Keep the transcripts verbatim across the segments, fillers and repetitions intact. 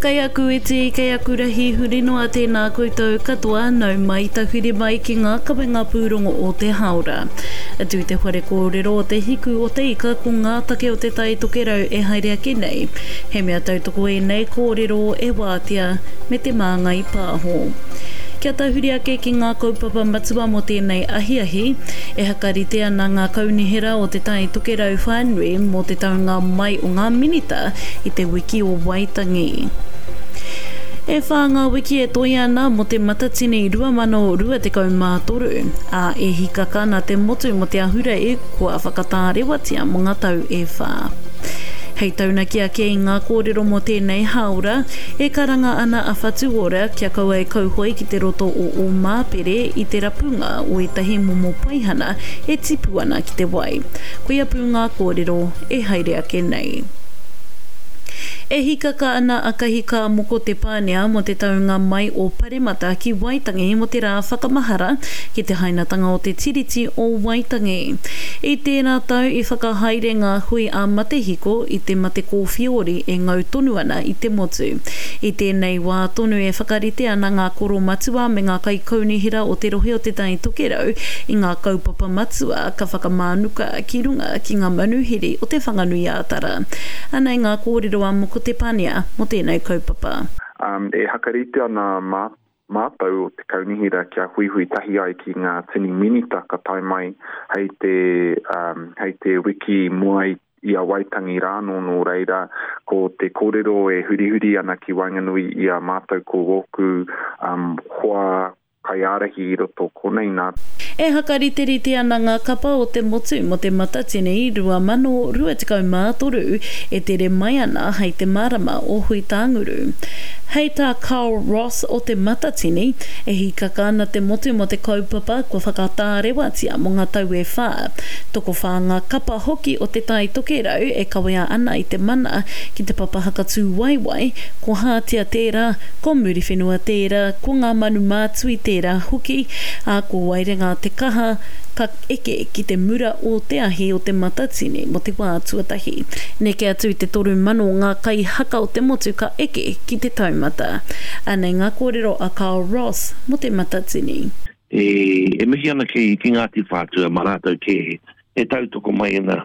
Kei aku iti, kei aku rahi huri noa tēnā koutou katoa, nau mai tahuri mai ki ngā kawenga pūrongo o te hāora. Atu i te whare kōrero o Te Hiku o Te Ika ko ngā take o Te Tai Tokerau e haere ake nei. He mea tautoko ēnei kōrero e Wātea me Te Māngai Pāho. Kia tahuri ake ki ngā kaupapa matua mō tēnei ahiahi, e hakarite ana ngā kaunihera o Te Tai Tokerau whānui mō te taunga mai o ngā minita i te wiki o Waitangi. E whā ngā wiki e toe ana mō Te Matatini rua mano rua tekau mā toru, ā, e hikaka ana te motu mō te ahurei kua whakatārewatia mō ngā tau e whā. Hei taunaki ake i ngā kōrero mō tēnei hāora, e karanga ana a Whatu Ora kia kaua e kauhoe ki te roto o Ōmāpere i te rapunga o ētahi momo paihana e tipu ana ki te wai. Koia pū ngā kōrero e haere ake nei. E hikaka ana a Kahika Moko Te Pānea mō te taunga mai o Paremata ki Waitangi mō te rā whakamahara ki te hainatanga o te Tiriti o Waitangi. I tērā tau i whakahaere ngā hui ā-matehiko i te mate kōwhiori e ngau tonu ana i te motu. I tēnei wā tonu e whakarite ana ngā koro matua me ngā kaikaunihera o te rohe o Te Tai Tokerau i ngā kaupapa matua ka whakamānuka ki runga ki ngā manuhiri o Te Whanganui-ā-Tara. Anei ngā kōrero a Moko Te Pania mō tēnei kaupapa. Um, e hakarite ana mā, mātou o te kaunihera kia huihui tahi ai ki ngā tini minita ka tae mai hei te, um, hei te wiki mua i, i a Waitangi rānō nō reira ko te kōrero e hurihuri ana ki waenganui i a mātou ko wōku um, hoa kaiārahi i roto konei nā. E hakariterite ana ngā kapa o te motu mō Te Matatini rua mano rua tekau mā toru e tere mai ana hei te marama o Huitānguru. Hei tā Carl Ross o Te Matatini, e hikaka ana te motu mō te kaupapa kua whakatārewatia mō ngā tau e whā. Tokowhā ngā kapa hoki o Te Tai Tokerau e kawea ana i te mana ki te papa hakatū waiwai, ko Hātea tērā, ko Muriwhenua tērā, ko Ngā Manu Mātui tērā hoki, ā, ko Waerenga te kaha ka eke ki te mura o te ahi o Te Matatini mō te wā tuatahi. Neke atu i te toru mano ngā kaihaka o te motu ka eke ki te taumata. Anei ngā kōrero a Carl Ross mō Te Matatini. E, e mihi ana ki, ki Ngāti Whātua mā rātou kē e tautoko mai ana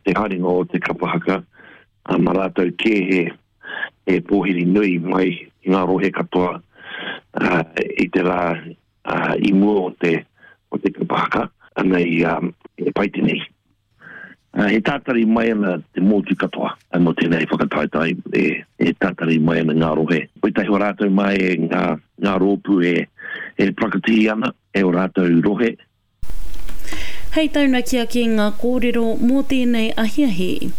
te haerenga o te kapa haka, ā, mā rātou kē he, he pōhiri nui mai i ngā rohe katoa, ā, i te rā, ā, i mua o te, o te kapa haka, ana i, ā, e pai te nei. Ā, he tātari mai ana te motu katoa mō tēnei whakataetae, e, e tātari mai ana ngā rohe. Koitahi o rātou mai e ngā, ngā rōpū e, e prakatihi ana e o rātou rohe. Hei taunaki ake ngā kōrero mō tēnei ahiahi.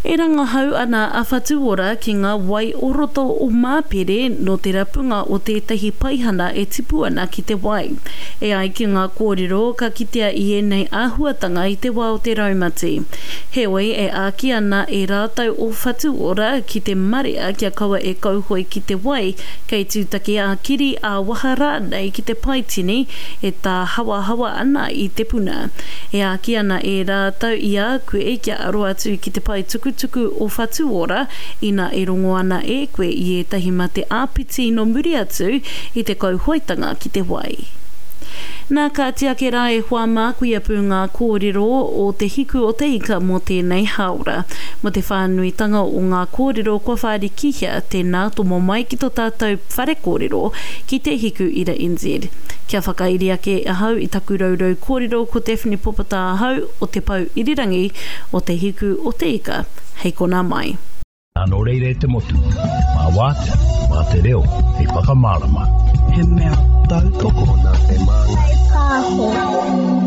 E rangahau ana a Whatu Ora ki ngā wai o roto o Māpere nō te rapunga o tētahi paihana e tipu ana ki te wai. E ai ki ngā kōrero, ka kitea i ēnei āhuatanga i te wā o te raumati. Heoi, e āki ana e rātou o Whatu Ora ki te marea kia kaua e kauhoe ki te wai, kei tūtaki ā-kiri, ā-waha rānei ki te paitini e tāhawahawa ana i te puna. E āki ana e rātou i a koe kia aro atu ki te pae tukutuku o Whatu Ora ina e rongo ana e koe i ētahi mate āpiti nō muri atu i te kauhoetanga ki te wai. Nā, kāti ake rā e hoa mā, koia pū ngā kōrero o Te Hiku o Te Ika mō tēnei hāora. Mō te whānuitanga o ngā kōrero kua whārikihia, tēnā tomo mai ki tō tātou whare kōrero ki Te Hiku Ira N Z. Kia whakairi ake ahau i taku rourou kōrero ko Daphne Popata ahau o Te Pou Irirangi o Te Hiku o Te Ika, hei konā mai. Nā, nō reira e te motu, mā Wātea, mā te reo hei whakamārama. He mea tautoko nā Te Māngai Pāho.